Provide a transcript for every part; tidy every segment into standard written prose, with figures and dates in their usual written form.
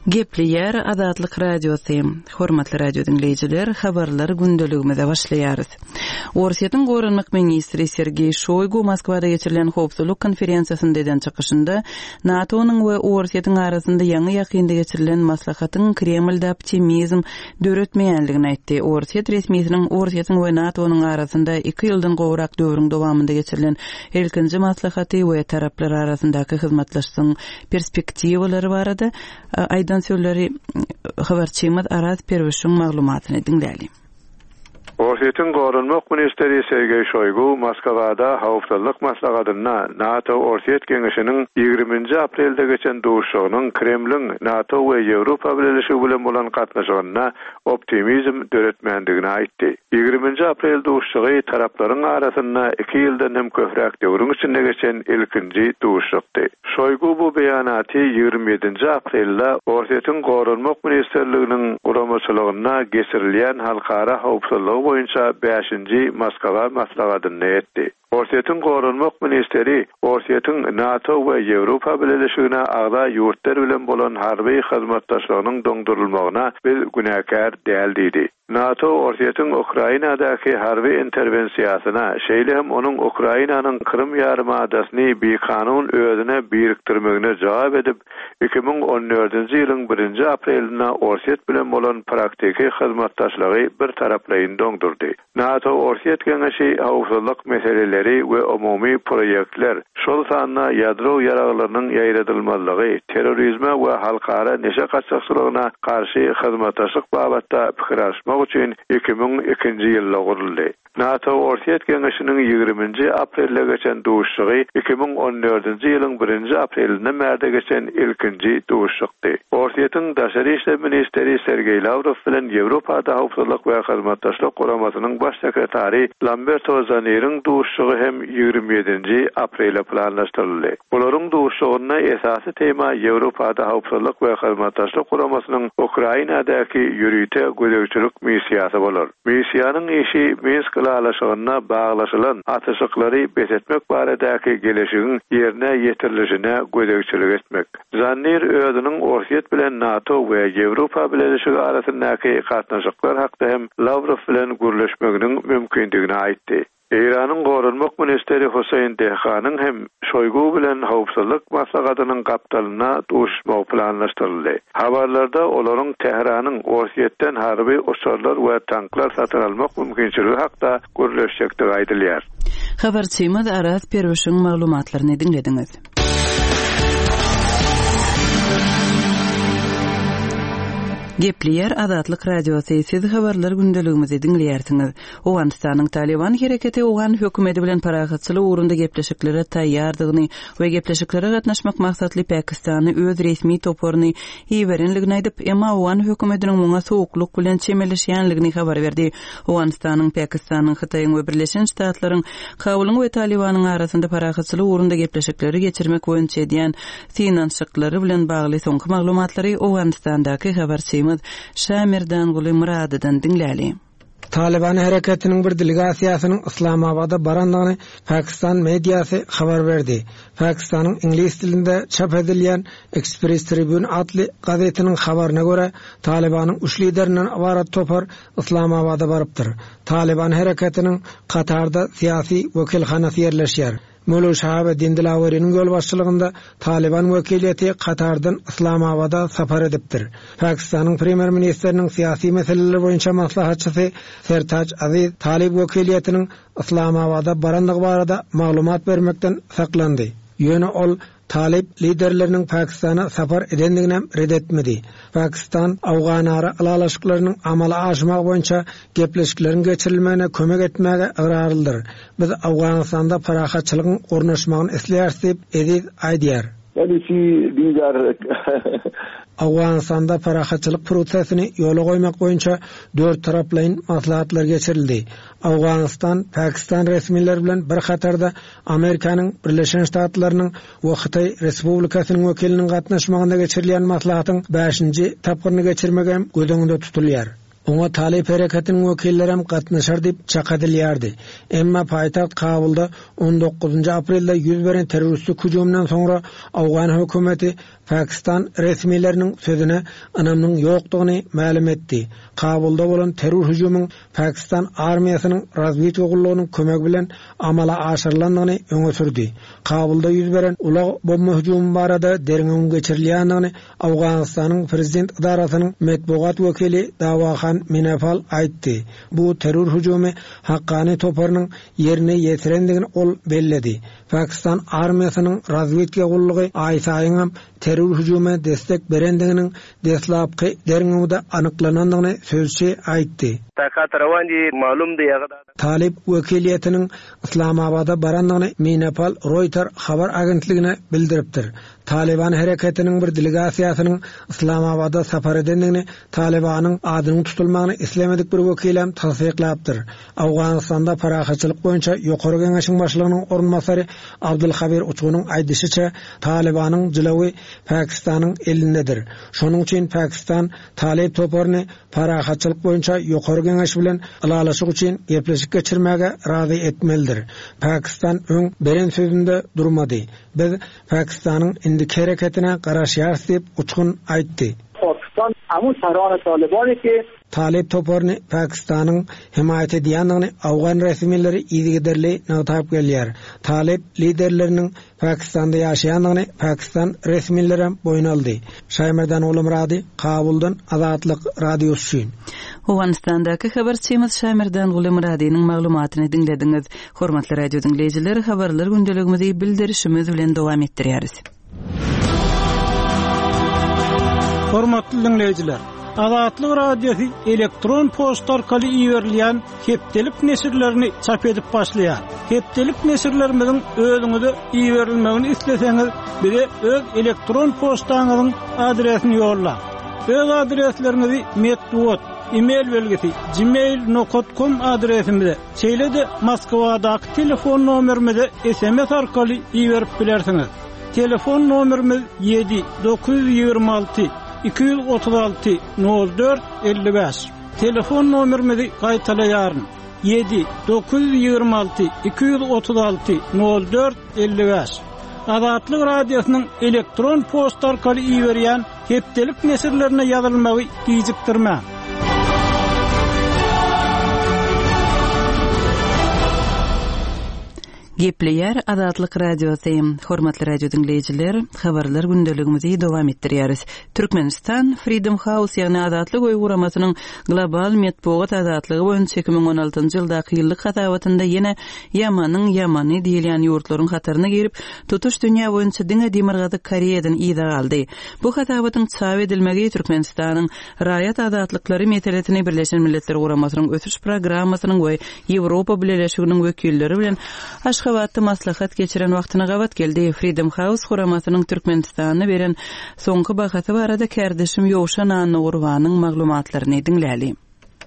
Gepleýär Azatlyk Radiosy. Hormatly radio diňleýjiler, habarlar gündeligimize başlaýarys. Orsýetiň goranmak ministri Sergeý Şoýgu Moskwada geçirilen howpsuzlyk konferensiýasynda eden çykyşynda NATO-nyň we Orsýetiň arasynda ýaňy-ýakynda geçirilen maslahatyň Kremlde optimizm döretmeýänligini aýtdy. Orsýet resmisiniň Orsýetiň we NATO-nyň arasynda iki ýyldan gowrak döwrüň dowamynda geçirilen ilkinji maslahaty we taraplar arasyndaky hyzmatlaşlygyň perspektiwalary barada aýdan sözleri habarçymyz Araz Perwişiň maglumatyny diňläliň. Orsýetiň Goranmak ministri Sergeý Şoýgu Moskwada Howpsuzlyk maslahatynda NATO-Orsýet geňeşiniň ýigriminji aprelde geçen duşuşygynyň Kremliň NATO we Ýewropa Bileleşigi bilen bolan gatnaşygynda optimizm döretmändigini aýtdy. Ýigriminji aprel duşuşygy taraplaryň arasynda iki ýyldan hem köpräk döwrüň içinde geçen ilkinji duşuşykdy. Şoýgu bu beýanaty 27-nji aprelde Orsýetiň Goranmak ministrliginiň guramaçylygynda geçirilýän halkara howpsuzlygy boýunça bäşinji Moskwa maslahatynda etdi. Orsýetiň goranmak ministri Orsýetiň NATO we Ýewropa Bileleşigine agza ýurtlar bilen bolan harby hyzmatdaşlygynyň doňdurylmagyna biz günäkär däl diýdi. NATO Orsýetiň Ukrainadaky harby interwensiýasyna, şeýle hem onuň Ukrainanyň Krym ýarymadasyny bikanun özüne birikdirmegine jogap edip, 2014-nji ýylyň birinji aprelinde Orsýet bilen bolan praktiki hyzmatdaşlygy birtaraplaýyn doňdurdy. NATO-Orsýet geňeşi howpsuzlyk meseleleri we umumy proýektler, şol sanda ýadro ýaraglarynyň ýaýradylmazlygy, terrorizme we halkara neşe gaçakçylygyna garşy hyzmatdaşlyk babatda pikir alyşmak üçin 2002-nji ýylda guruldy. NATO-Orsýet geňeşiniň ýigriminji aprelde geçen duşuşygy 2014-nji ýylyň birinji aprelinden bärde geçen ilkinji duşuşykdy. Orsýetiň daşary işler ministri Sergeý Lawrow bilen Ýewropada Howpsuzlyk we Hyzmatdaşlyk Guramasynyň Baş sekretary Lamberto Zaniriň duşuşygy hem 27-nji aprele planlaşdyryldy. Bularyň duşuşygynda esasy tema Ýewropada Howpsuzlyk we Hyzmatdaşlyk Guramasynyň Ukrainadaky ýörite gözegçilik missiýasy bolar. Missiýanyň işi Minsk ylalaşygynda baglaşylan atyşyklary bes etmek baradaky geleşigiň ýerine ýetirilişine gözegçilik etmek. Zanir özüniň Orsýet bilen NATO we Ýewropa Bileleşigi arasyndaky gatnaşyklar hakda hem Lawrow bilen gürleşmeginiň mümkindigini aýtdy. Eýranyň goranmak ministri Husseýn Dehganyň hem Şoýgu bilen howpsuzlyk maslahatynyň gapdalynda duşuşmagy planlaşdyryldy. Habarlarda olaryň Tähranyň Orsýetden harby uçarlar we tanklar satyn almak mümkinçiligi hakda gürleşjekdigi aýdylýar. Habarçymyz Araz Perwişiň maglumatlaryny diňlediňiz. Gepleýär Azatlyk Radiosy, siz habarlar gündeligimizi diňleýärsiňiz. Owganystanyň Talyban hereketi owgan hökümeti bilen parahatçylyk ugrunda gepleşiklere taýýardygyny we gepleşiklere gatnaşmak maksatly Pakistana öz resmi toparyny iberenligini aýdyp, emma owgan hökümetiniň muňa sowuklyk bilen çemeleşýänligini habar berdi. Owganystanyň, Pakistanyň, Hytaýyň we Birleşen Ştatlaryň Kabulyň we Talybanyň arasynda parahatçylyk ugrunda gepleşikleri geçirmek boýunça edýän synanyşyklary bilen bagly soňky maglumatlary Owganystandaky habarçymyz Şamerdanguly Myradydan diňläli. Talyban hereketiniň bir delegasiýasynyň Yslamabada barandygyny pakistan mediasy habar berdi. Pakistanyň iňlis dilinde çap edilýän Express Tribune atly gazetiniň habaryna görä, Talybanyň üç liderinden ybarat topar Yslamabada barypdyr. Talyban hereketiniň Katarda syýasy wekilhanasy ýerleşýär. Möwlöwi Şahabeddin Dilaweriniň ýolbaşçylygynda Talyban wekiliýeti Katardan Yslamabada sapar edipdir. Pakistanyň premýer-ministriniň syýasy meseleler boýunça maslahatçysy Sertaj Aziz talyp wekiliýetiniň Yslamabada barandygy barada maglumat bermekden saklandy. Ýöne ol Talyp liderleriniň Pakistana sapar edendiginem ret etmedi. Pakistan awganara ylalaşyklarynyň amala aşmagy boýunça gepleşikleriň geçirilmegine kömek etmäge ygrarlydyr. Biz Owganystanda parahatçylygyň ornaşmagyny isleýäris diýip, Eziz aýdýar. Owganystanda parahatçylyk prosesini ýola goýmak boýunça dörttaraplaýyn maslahatlar geçirildi. Owganystan, Pakistan resmileri bilen bir hatarda Amerikanyň Birleşen Ştatlarynyň we Hytaý Respublikasynyň wekiliniň gatnaşmagynda geçirilýän maslahatyň bäşinji tapgyryny geçirmek hem göz öňünde tutulýar. Oňa Talyp hereketiniň wekillerem gatnaşar diýip çak edilýärdi. Emma paýtagt Kabulda on dokuzynjy aprelde ýüz beren terroristik hüjüminden soňra owgan hökümeti. Pakistan resmileriniň sözüne ynamynyň ýokdugyny mälim etdi. Kabulda bolan terror hüjümiň Pakistan armiýasynyň razwedka gullugynyň kömegi bilen amala aşyrylandygyny öňe sürdi. Kabulda ýüz beren ulag bomba hüjümi barada derňewiň geçirilýändigini Owganystanyň prezident edarasynyň metbugat wekili Dawahan Minefal aýtdy. Bu terror hüjümi Hakkani toparynyň ýerine ýetirendigini ol belledi. Pakistan armiýasynyň razwedka gullugy aýsaýyňam terror hüjüme destek berendiginiň deslapky derňewde anyklanandygyny sözçi aýtdy. Talyp wekiliýetiniň Yslamabada barandygyny Minapal Roýter habar agentligine bildiripdir. Talyban hereketiniň bir delegasiýasynyň Yslamabada sapar edendigini Talybanyň adynyň tutulmagyny islemedik bir wekilem tassyklapdyr. Owganystanda parahatçylyk boýunça Ýokary Geňeşiň başlygynyň orunbasary Abdulhabir Uçgunyň aýdyşyça, Talybanyň jylawy Pakistanyň elindedir. Şonuň üçin Pakistan Talyp toparyny parahatçylyk boýunça Ýokary Geňeş bilen ylalaşyk üçin gepleşik geçirmäge razy etmelidir. Pakistan öň beren sözünde durmady. Biz Pakistanyň indiki hereketine garaşýarys diýip, Uçgun aýtdy. Pakistan amu sarany Talybany ki. Talyp toparyny Pakistanyň hemaýat edýändigini owgan resmileri yzygiderli nygtap gelýär. Talyp liderleriniň Pakistanda ýaşaýandygyny pakistan resmilerem boýun aldy. Şaýmerdan Gulumyrady, Kabuldan Azatlyk Radiosy üçin. Owganystandaky habarçymyz Şaýmerdan Gulumyradynyň maglumatyny diňlediňiz. Hormatly radio diňleýjiler, habarlar gündeligimizi bildirişimiz bilen dowam etdirýäris. Hormatly diňleýjiler, Azatlyk Radiosy elektron poçta arkaly iberilýän hepdelik neşirlerini çap edip başlaýar. Hepdelik neşirlerimiziň özüňize iberilmegini isleseňiz, bize öz elektron poçtaňyzyň adresini ýollaň. Öz adresleriňizi metbugat, e-mail belgisi, gmail nokat kom adresimize, Şeýle-de Moskwadaky telefon nomerimize sms arkaly iberip bilersiňiz. Telefon nomerimiz 7 926 236 04 55. Telefon nomerimizi gaýtalaýaryn. 7 926 236 04 55. Azatlyk Radiosynyň elektron poçta arkaly iberýän Hepdelik neşirlerine ýazylmagy gijikdirmäň. Gepleýär Azatlyk Radiosy. Hormatly radio diňleýjiler, habarlar gündeligimizi dowam etdirýäris. Türkmenistan Freedom House, ýagny Azatlyk öýi guramasynyň global metbugat azatlygy boýunça 2016-njy ýyldaky ýyllyk hasabatynda ýene ýamanyň ýamany diýilýän ýurtlaryň hataryna girip, tutuş dünýä boýunça diňe Demirgazyk Koreýadan yza galdy. Bu hasabatyň çap edilmegi Türkmenistanyň raýat azatlyklary meselesini Birleşen Milletler Guramasynyň Ösüş Programmasynyň we Ýewropa Bileleşiginiň wekilleri bilen Aşgabatda maslahat geçiren wagtyna gabat geldi. Freedom House guramasynyň Türkmenistana beren soňky bahasy barada kärdeşim Ýowşan Annagurbanyň maglumatlaryny diňläli.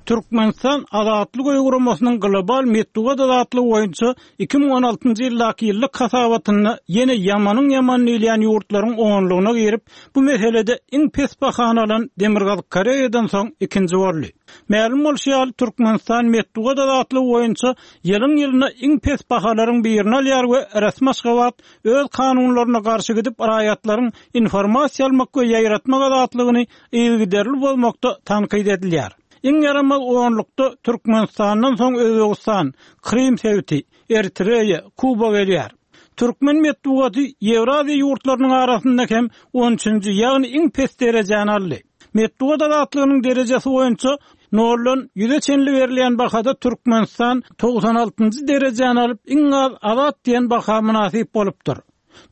Türkmenistan Azatlyk öýi guramasynyň global metbugat azatlygy boýunça 2016-njy ýyldaky ýyllyk hasabatynda ýene ýamanyň ýamany diýilýän ýurtlaryň onlugyna girip, bu meselede iň pes bahany alan Demirgazyk Koreýadan soň ikinji boldy. Mälim bolşy ýaly, Türkmenistan metbugat azatlygy boýunça ýylyň-ýylyna iň pes bahalaryň birini alýar we resmi Aşgabat öz kanunlaryna garşy gidip raýatlaryň informasiýa almak we ýaýratmak azatlygyny yzygiderli bozmakda tankyt edilýär. Iň ýaramaz onlukda Türkmenistandan soň Özbegistan, Krym sebiti, Eritreýa, Kuba gelýär. Türkmen metbugaty Ýewraziýa ýurtlarynyň arasynda hem on üçünji, ýagny iň pes derejäni aldy. Metbugat azatlygynyň derejesi boýunça noldan ýüze çenli berilýän bahada Türkmenistan 96-njy derejäni alyp, iň az azat diýen baha mynasyp bolupdyr.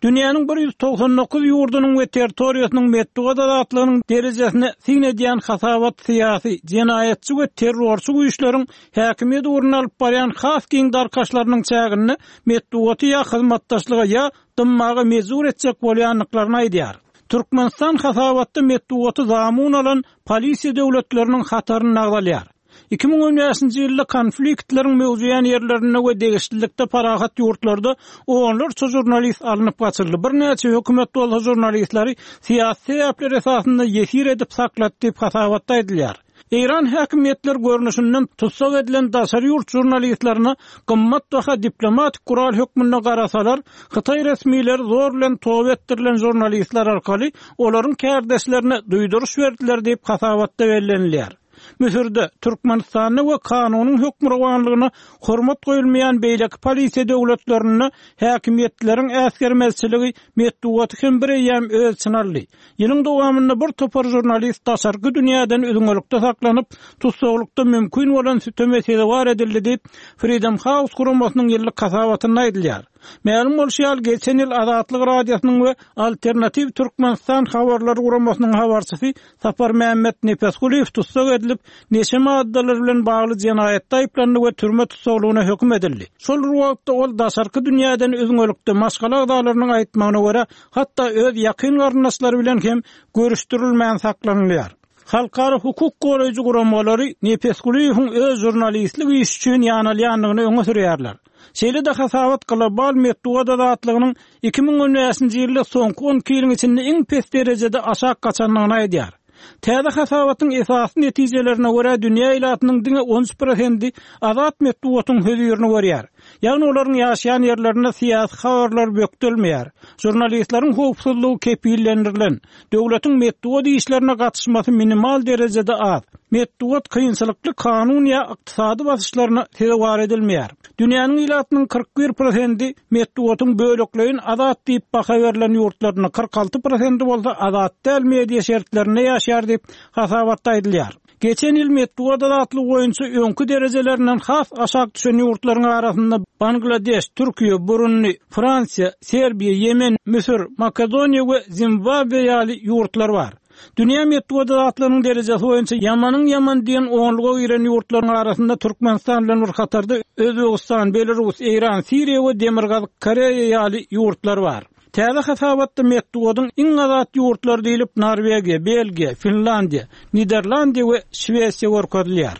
Dünýäniň 199 ýurdunyň we territoriýasynyň metbugat azatlygynyň derejesine syn edýän hasabat syýasy, jenaýatçy we terrorçy güýçleriň häkimiýet ugrunda alyp barýan has giň darkaşlarynyň çäginde metbugaty ýa hyzmatdaşlyga ýa dymmaga mejbur etjek bolýandyklaryny aýdýar. Türkmenistan hasabatda metbugaty zamun alan polisiýa döwletleriniň hatarynda agzalýar. 2015-nji ýylda konfliktleriň möwjeýän ýerlerinde we degişlilikde parahat ýurtlarda onlarça žurnalist alnyp gaçyldy, birnäçe hökümet bolsa žurnalistleri syýasy sebäpler esasynda ýesir edip saklady diýip, hasabatda aýdylýar. Eýran häkimiýetleri görnüşinden tussag edilen daşary ýurt žurnalistlerine gymmatbaha diplomatik gural hökmünde garasalar, hytaý resmileri zor bilen toba etdirilen žurnalistler arkaly olaryň kärdeşlerine duýduryş berdiler diýip, hasabatda bellenilýär. Müsürde, Türkmenistanda we kanunyň hökmürowanlygyna hormat goýulmaýan beýleki polisiýa döwletlerinde häkimiýetleriň äsgermezçiligi metbugaty hem bireýýäm öz içine aldy. Ýylyň dowamynda bir topar žurnalist daşarky dünýäden üzňelikde saklanyp, tussaglykda mümkin bolan süteme sezewar edildi diýip, Freedom House guramasynyň ýyllyk hasabatynda aýdylýar. Mälim bolşy ýaly, geçen ýyl Azatlyk Radiosynyň we Alternatiw Türkmenistan habarlar guramasynyň habarçysy Saparmämmet Nepesgulyýew tussag edilip, neşe maddalary bilen bagly jenaýatda aýyplandy we türme tussaglygyna höküm edildi. Şol bir wagtda, ol daşarky dünýäden üzňelikde, maşgala agzalarynyň aýtmagyna görä, hatda öz ýakyn garyndaşlary bilen hem görüşdirilmän saklanylýar. Halkara hukuk goraýjy guramalary Nepesgulyýewiň öz žurnalistlik işi üçin ýanalýandygyny öňe sürýärler. Şeýle-de hasabat global metbugat azatlygynyň 2015-nji ýylda soňky on iki ýylyň içinde iň pes derejede aşak gaçandygyny aýdýar. Täze hasabatyň esasy netijelerine görä, dünýä ilatynyň diňe 13 prosendi azat metbugatyň hözirini görýär. Ýagny olaryň ýaşaýan ýerlerinde syýasy habarlar bökdelmeýär, žurnalistleriň howpsuzlygy kepillendirilen, döwletiň metbugat işlerine gatyşmasy minimal derejede az, metbugat kynçylykly kanun ýa ykdysady basyşlaryna sezewar edilmeýär. Dünýäniň ilatynyň 41 prosendi metbugatyň bölekleýin azat diýip baha berlen ýurtlarynda, 46 prosendi bolsa azat däl media şertlerinde ýaşaýar diýip, hasabatda aýdylýar. Geçen ýyl metbugat azatlygy boýunça öňki derejelerinden has aşak düşen ýurtlaryň arasynda Bangladeş, Türkiýe, Burundi, Fransiýa, Serbiýa, Ýemen, Müsür, Makedoniýa we Zimbabwe ýaly ýurtlar bar. Dünýä metbugat azatlygynyň derejesi boýunça ýamanyň ýamany diýen onluga giren ýurtlaryň arasynda Türkmenistan bilen bir hatarda Özbegistan, Belarus, Eýran, Siriýa we Demirgazyk Koreýa ýaly ýurtlar bar. Täze hasabatda metbugatyň iň azat ýurtlary diýlip Norwegiýa, Belgiýa, Finlandiýa, Niderlandiýa we Şwesiýa görkezilýär.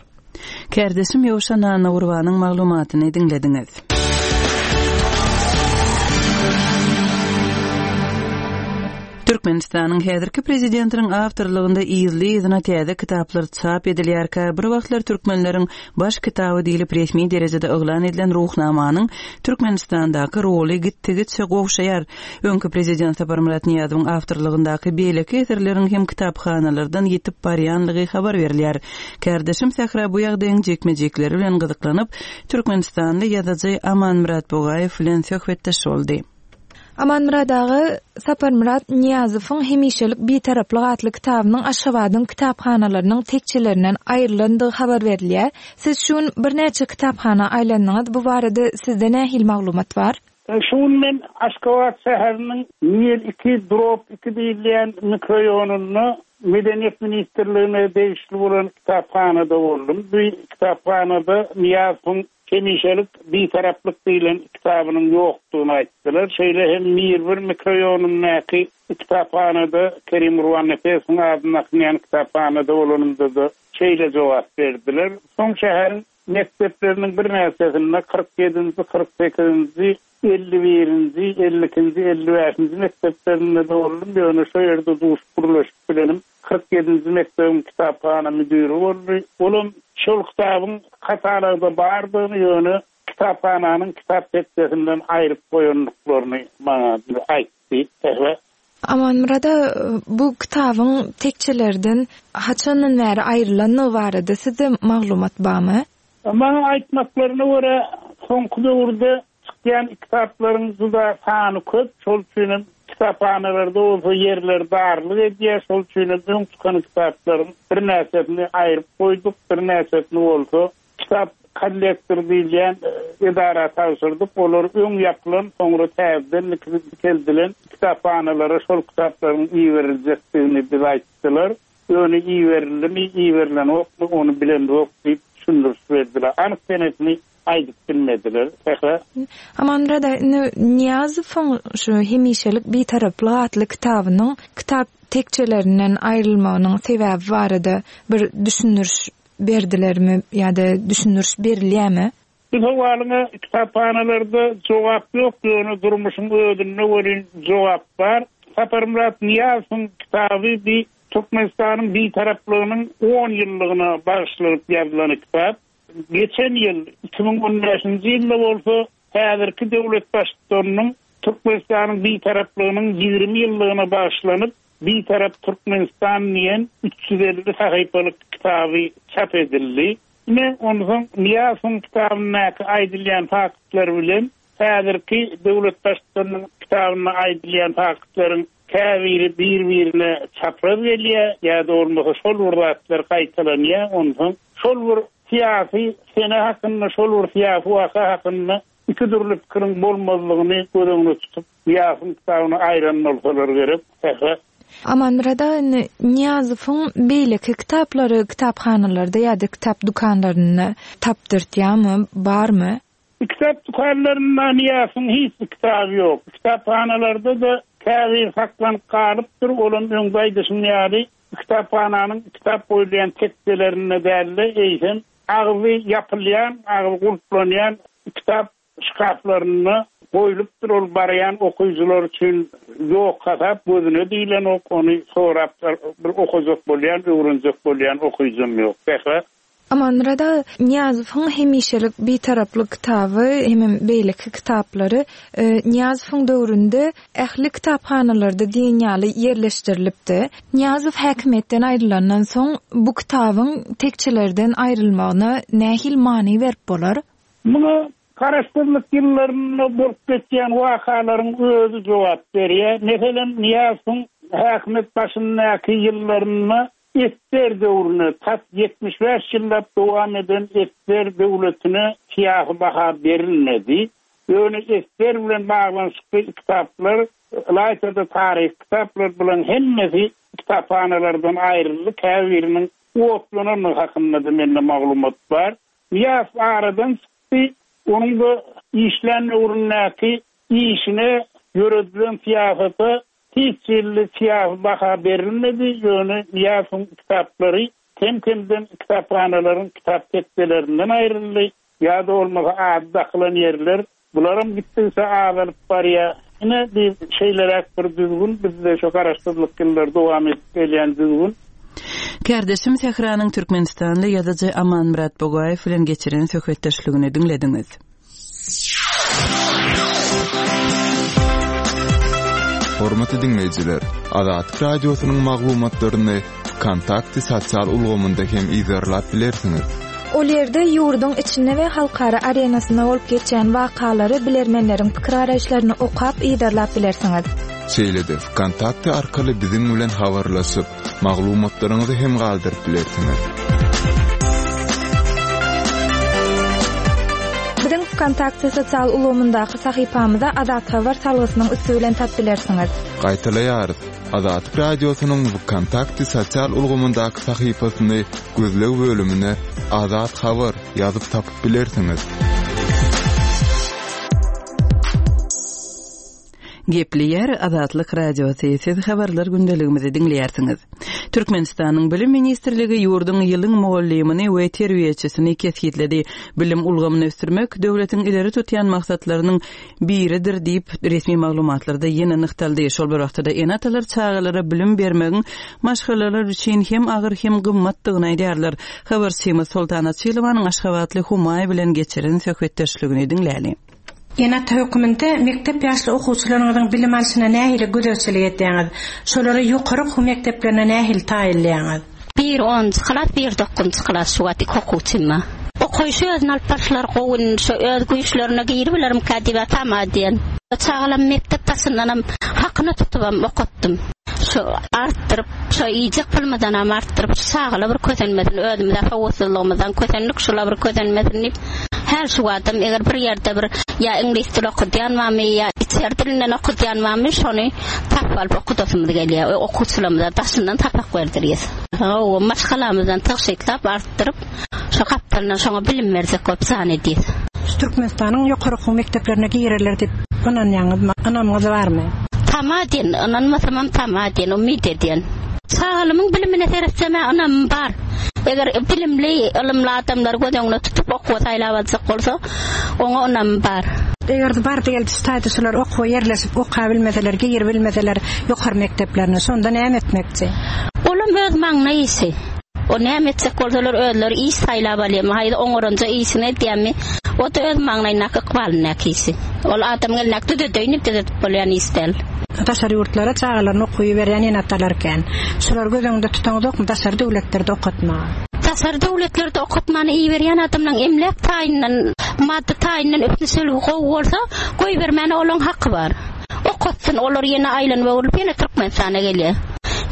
Kärdeşim Ýowşan Annagurbanyň maglumatyny diňlediňiz. Türkmenistanyň häzirki prezidentiniň awtorlygynda yzly-yzyna täze kitaplar çap edilýärkä, bir wagtlar türkmenleriň baş kitaby diýlip resmi derejede yglan edilen Ruhnamanyň Türkmenistandaky roly gitdigiçe gowşaýar. Öňki prezident Saparmyrat Nyýazowyň awtorlygyndaky beýleki eserleriň hem kitaphanalardan ýitip barýanlygy habar berilýär. Kärdeşim Sähra bu ýagdaýyň jikme-jikleri bilen gyzyklanyp, türkmenistanly ýazyjy Amanmyrat Bugaýew bilen söhbetdeş boldy. Amanmyrat aga, Saparmyrat Nyýazowyň Hemişelik Bitaraplyk atly kitabynyň Aşgabadyň kitaphanalarynyň tekjelerinden aýrylandygy habar berilýär. Siz şu gün birnäçe kitaphana aýlandyňyz, bu barada sizde nähili maglumat bar? Şu gün men Aşgabat şäheriniň Mir iki, Drop iki diýilýän mikroýonynda Medeniýet ministrligine degişli bolan kitaphanada boldum. Bu kitaphanada Nyýazowyň Hemişelik Bitaraplyk diýlen kitabynyň ýokdugyny aýtdylar. Şeýle hem Mir bir mikroýonyndaky kitaphanada Kerim Gurbannepesowyň adyny dakynýan kitaphanada bolanymda-da şeýle jogap berdiler. Soň şäheriň mekdepleriniň birnäçesinde, 47-nji, 48-nji, 51-nji, 52-nji, 55-nji mekdeplerinde-de boldum, ýöne şo ýerde duşup gürleşip bilenim 47-nji mekdebiň kitaphana müdiri boldy. Olam şol kitabyň katalogda bardygyny, ýöne kitaphananyň kitap tekjesinden aýryp goýandyklaryny maňa aýtdy. Sähra. Amanmyrada bu kitabyň tekjelerden haçandan bäri aýrylandygy barada sizde maglumat barmy? Maňa aýtmaklaryna görä, soňky döwürde çykýan kitaplaryň juda sany köp, şol üçinem kitaphanalarda bolsa ýerler darlyk edýär, şol üçinem öň çykan kitaplaryň birnäçesini aýryp goýduk, birnäçesini bolsa kitap kollektor diýilýän edara tabşyrdyk, olar öň ýapylan, soňra täzeden dikeldilen kitaphanalara şol kitaplaryň iberiljekdigini bize aýtdylar. Ýöne iberildimi, iberilenokmy, ony bilemzok diýip düşündiriş berdiler. Anyk senesini aýdyp bilmediler. Sähra. Amanmyrat aga, indi Nyýazowyň şu Hemişelik Bitaraplyk atly kitabynyň kitap tekjelerinden aýrylmagynyň sebäbi barada bir düşündiriş berdilermi ýa-da düşündiriş berilýärmi? Bu sowalyňa kitaphanalarda jogap ýok, ýöne durmuşyň özünde welin jogap bar. Saparmyrat Nyýazowyň kitaby bi Türkmenistanyň Bitaraplygynyň on ýyllygyna bagyşlanyp ýazylan kitap. Geçen ýyl, 2015-nji ýylda bolsa häzirki döwlet Baştutanynyň Türkmenistanyň Bitaraplygynyň 20 ýyllygyna bagyşlanyp Bitarap Türkmenistan diýen 350 sahypalyk kitaby çap edildi. Ine, onsoň Nyýazowyň kitabyndaky aýdylýan faktlar bilen häzirki döwlet Baştutanynyň kitabynda aýdylýan faktlaryň käbiri bir-birine çapraz gelýär ýa-da bolmasa şol bir zatlar gaýtalanýar. Onsoň şol bir syýasy sene hakynda, şol bir syýasy waka hakynda iki dürli pikiriň bolmazlygyny göz öňünde tutup, Nyýazowyň kitabyny aýran bolsalar gerek. Sähra. Amanmyrat aga, indi Nyýazowyň beýleki kitaplary kitaphanalarda ýa-da kitap dükanlarynda tapdyrtýarmy, barmy? Kitap dükanlarynda Nyýazowyň hiç bir kitaby ýok. Kitaphanalarda-da käbiri saklanyp galypdyr, olam öňde aýdyşym ýaly, kitaphananyň kitap goýulýan tekjelerinde däl-de, eýsem, agzy ýapylýan, agzy gulplanýan kitap şkaflarynda goýlupdyr, ol barýan okyjylar üçin ýok hasap, gözüne diýlenok, ony sorap bir okajak bolýan, öwrenjek bolýan okyjam ýok. Sähra. Amanmyrat aga, Nyýazowyň hemişelik Bitaraplyk kitaby hemem beýleki kitaplary Nyýazowyň döwründe ähli kitaphanalarda diýen ýaly ýerleşdirilipdi. Nyýazow häkimiýetden aýrylandan soň bu kitabyň tekjelerden aýrylmagyna nähili many berip bolar? Muňa Garaşsyzlyk ýyllarynda bolup geçýän wakalaryň özi jogap berýär. Meselem, Nyýazowyň häkimiýet başyndaky ýyllarynda Ssr döwrüne, tas 75 ýyllap dowam eden ssr döwletine syýasy baha berilmedi. Ýöne ssr bilen baglanyşykly kitaplar, ylaýta-da taryhy kitaplar bularyň hemmesi kitaphanalardan aýryldy, käbiriniň otlanandygy hakynda-da mende maglumat bar. Nyýazow aradan çykdy, onuň-da işlän döwründäki işine, ýöredilen syýasata Hiç hili syýasy baha berilmedi, ýöne Nyýazowyň kitaplary kem-kemden kitaphanalaryň kitap tekjelerinden aýryldy, ýa-da bolmasa ady dakylan ýerler, bularam gitdigiçe azalyp barýar. Ine, bi şeýleräk bir düzgün, bizde şu garaşsyzlyk ýyllary dowam edip gelýän düzgün. Kärdeşim Sähranyň türkmenistanly ýazyjy Amanmyrat Bugaýew bilen geçiren söhbetdeşligini diňlediňiz. Hormatly diňleýjiler, Azatlyk Radiosynyň maglumatlaryny Wkontakte sosial ulgamynda hem yzarlap bilersiňiz. Ol ýerde ýurduň içinde we halkara arenasynda bolup geçýän wakalary, bilermenleriň pikir-garaýyşlaryny okap, yzarlap bilersiňiz. Şeýle-de Wkontakte arkaly biziň bilen habarlaşyp, Maglumatlaryňyzy hem galdyryp bilersiňiz. Biziň Wkontakte sosial ulgamyndaky sahypamyza Azat Habar salgysynyň üsti bilen tap bilersiňiz. Gaýtalaýarys, Azatlyk Radiosynyň Wkontakte sosial ulgamyndaky sahypasyny gözleg bölümine Azat Habar ýazyp tapyp bilersiňiz. Gepleýär Azatlyk Radiosy, siz habarlar gündeligimizi diňleýärsiňiz. Türkmenistanyň Bilim ministrligi ýurduň ýylyň mugallymyny we terbiýeçisini kesgitledi. Bilim ulgamyny ösdürmek döwletiň ileri tutýan maksatlarynyň biridir diýip, resmi maglumatlarda ýene nygtaldy. Şol bir wagtda-da ene-atalar çagalara bilim bermegiň maşgalalar üçin hem agyr, hem gymmatdygyny aýdýarlar. Habarçymyz Soltan Açylowanyň aşgabatly Humaý bilen geçiren söhbetdeşligini diňläli. Ene-ata hökmünde mekdep ýaşly okuwçylaryňyzyň bilim alşyna nähili gözegçilik edýäňiz? Şolary ýokary okuw mekdeplerine nähili taýynlaýaňyz? Biri onunjy klas, biri dokuzynjy klas şu wagt iki okuwçym bar. Okaýşy özüni alyp barşlary gowy indi şo öz güýçlerine giribilerimkä diýip tama edýän. Çagalam mekdep daşyndanam hakyna tutubam okatdym. Şo artdyryp şo iýjek pulumyzdanam artdyryp şu çagala bir kösenmesin özümizä sowatsyzlygymyzdan kösendik şula bir kösenmesin diýip Häl şu adam eger bir ýerde bir ýa iňlis dili okudýan barmy ýa içeri dilinden okudýan barmy şony tapyp alyp okudasymyz gelýär we okuwçylarymyza daşyndan sapak berdirýäs. Hawa maşgalamyzdan tygşytlap artdyryp şo gapdalyndan şoňa bilim berjek bolup jan edýäs. Şu Türkmenistanyň ýokary okuw mekdeplerine girerler diýip ynanýaňyzmy? Ynamyňyz barmy? Tama edýän, ynanmasamam tama edýän, umyt edýän. Çagalymyň bilimine seretsem-ä ynamym bar. Eger bilimli, ylymly adamlary göz öňüne tutup okuwa saýlap aljak bolsa, oňa ynamym bar. Eger-de bardy-geldi şu taýda şular okuwa ýerleşip okabilmeseler, giribilmeseler ýokary mekdeplerine, şonda näme etmekçi? Olam öz maňlaý işi. O näme etjek bolsalar özleri iş saýlap alýarmy, haýsy oňaranja işini edýärmi, o-da öz maňlaýyndaky ykbalyndaky işi. Ol adamyň elindäki düzedeýin diýip düzedip bolýan iş däl. Daşary ýurtlara çagalaryny okuwa iberýän ene-atalar kän. Şulary göz öňünde tutaňyzokmy daşary döwletlerde okatmaga? Daşary döwletlerde okatmana iberýän adamlaryň emläk taýyndan, maddy taýyndan üpjünçiligi gowy bolsa, goýbermäne olaň haky bar. Okatsyn, olar ýene aýlanyp-öwrülip ýene Türkmenistana gelýär.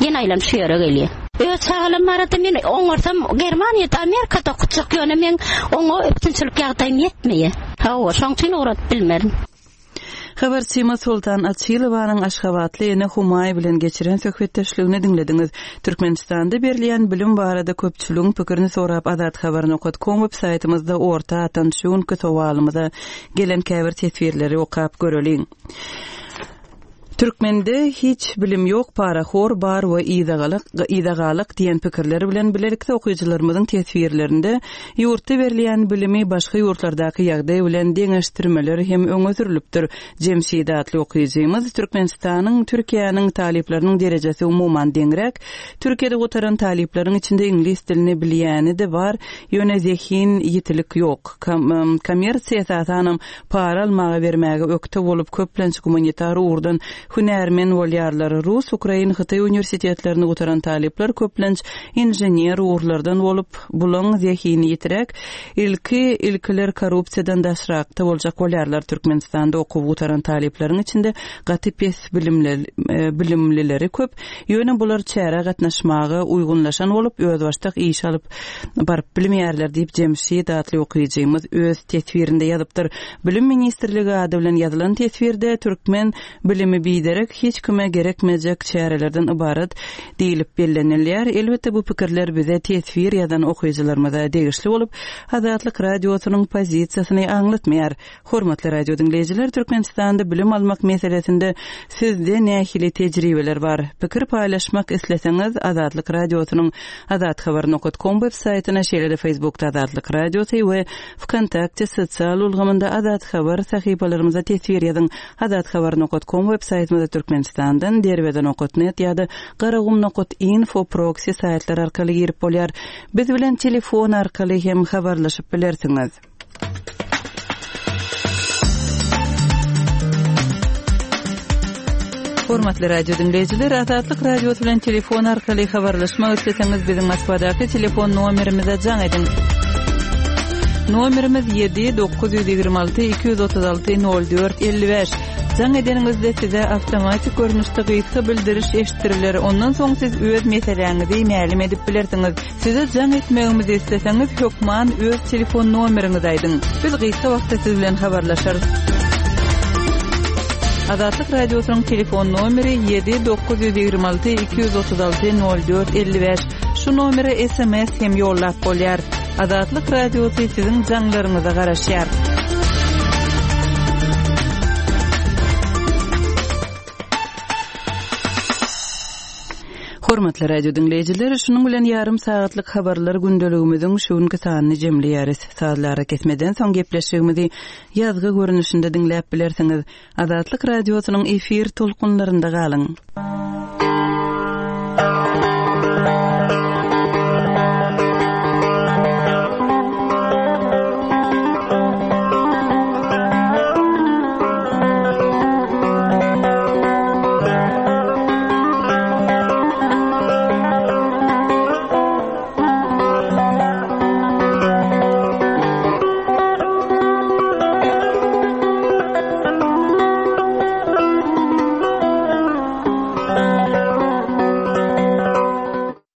Ýene aýlanyp şu ýere gelýär. Öz çagalarym barada men oňarsam Germaniýada, Amerikada okatjak, ýöne meň oňa üpjünçilik ýagdaýym ýetmeýär. Hawa, şoň üçin ugradyp bilmerin. Habarçymyz Soltan Açylowanyň aşgabatly ene Humaý bilen geçiren söhbetdeşligini diňlediňiz. Türkmenistanda berilýän bilim barada köpçüligiň pikirini sorap Azathabar nokat kom web saýtymyzda orta atan şu günki sowalymyza gelen käbir teswirleri okap göreliň. Türkmende hiç bilim ýok parahor bar we yzagalak yzagalak diýen pikirler bilen bilelikde okyjylarymyzyň teswirlerinde ýurtda berilýän bilimi başga ýurtlardaky ýagdaý bilen deňeşdirmeler hem öňe sürülipdir. Jemşit atly okyjymyz Türkmenistanyň Türkiýäniň talyplarynyň derejesi umuman deňräk. Türkiýede gutaran talyplaryň içinde iňlis dilini bilýäni-de bar, ýöne zehin ýitilik ýok. Kommersiýa esasanam Para almaga bermäge ökde bolup, köplenç gumanitar ugurdan hünärmen bolýarlar. Rus, ukrain, hytaý uniwersitetlerini gutaran talyplar köplenç inžener ugurlardan bolup, bulaň zehini ýitiräk, ilki ilkiler korrupsiýadan daşrakda boljak bolýarlar. Türkmenistanda okuw gutaran talyplaryň içinde gaty pes bilimlileri köp, ýöne bular çärä gatnaşmaga uýgunlaşan bolup, özbaşdak iş alyp baryp bilmeýärler diýip, Jemşit atly okyjymyz öz teswirinde ýazypdyr. Bilim ministrligi ady bilen ýazylan teswirde türkmen bilimi biderek, hiç kime gerekmejek çärelerden ybarat diýlip bellenilýär. Elbetde, bu pikirler bize teswir ýazan okyjylarymyza degişli bolup, Azatlyk Radiosynyň pozisiýasyny aňlatmaýar. Hormatly radio diňleýjiler, Türkmenistanda bilim almak meselesinde sizde nähili tejribeler bar? Pikir paýlaşmak isleseňiz, Azatlyk Radiosynyň azathabar nokat kom web saýtyna, şeýle-de Facebookda Azatlyk Radiosy we Wkontakte sosial ulgamynda Azathabar sahypalarymyza teswir ýazyň. Azathabar nokat kom web saýtymyza Türkmenistandan Derweze nokat net ýa-da Garagum nokat info proksi saýtlary arkaly girip bolýar. Biz bilen telefon arkaly hem habarlaşyp bilersiňiz. Hormatly radio diňleýjiler, Azatlyk Radiosy bilen telefon arkaly habarlaşmak isleseňiz, biziň Moskwadaky telefon nomerimize jaň ediň. Nomerimiz 7 926 236 04 55. Jaň edeniňizde size awtomatik görnüşde gysga bildiriş eşitdiriler. Ondan soň siz öz meseläňizi mälim edip bilersiňiz. Size jaň etmegimizi isleseňiz hökman öz telefon nomeriňizi aýdyň. Biz gysga wagtda siz bilen habarlaşarys. Azatlyk Radiosynyň telefon nomeri 7 926 236 04 55. Şu nomere SMS hem ýollap bolýar. Azatlyk Radiosy siziň jaňlaryňyza garaşýar. Hormatly radio diňleýjiler, şunuň bilen ýarym sagatlyk habarlar gündeligimiziň şu günki sanyny jemleýäris. Sazly arakesmeden soň gepleşigimizi ýazgy görnüşinde diňläp bilersiňiz. Azatlyk Radiosynyň efir tolkunlarynda galyň!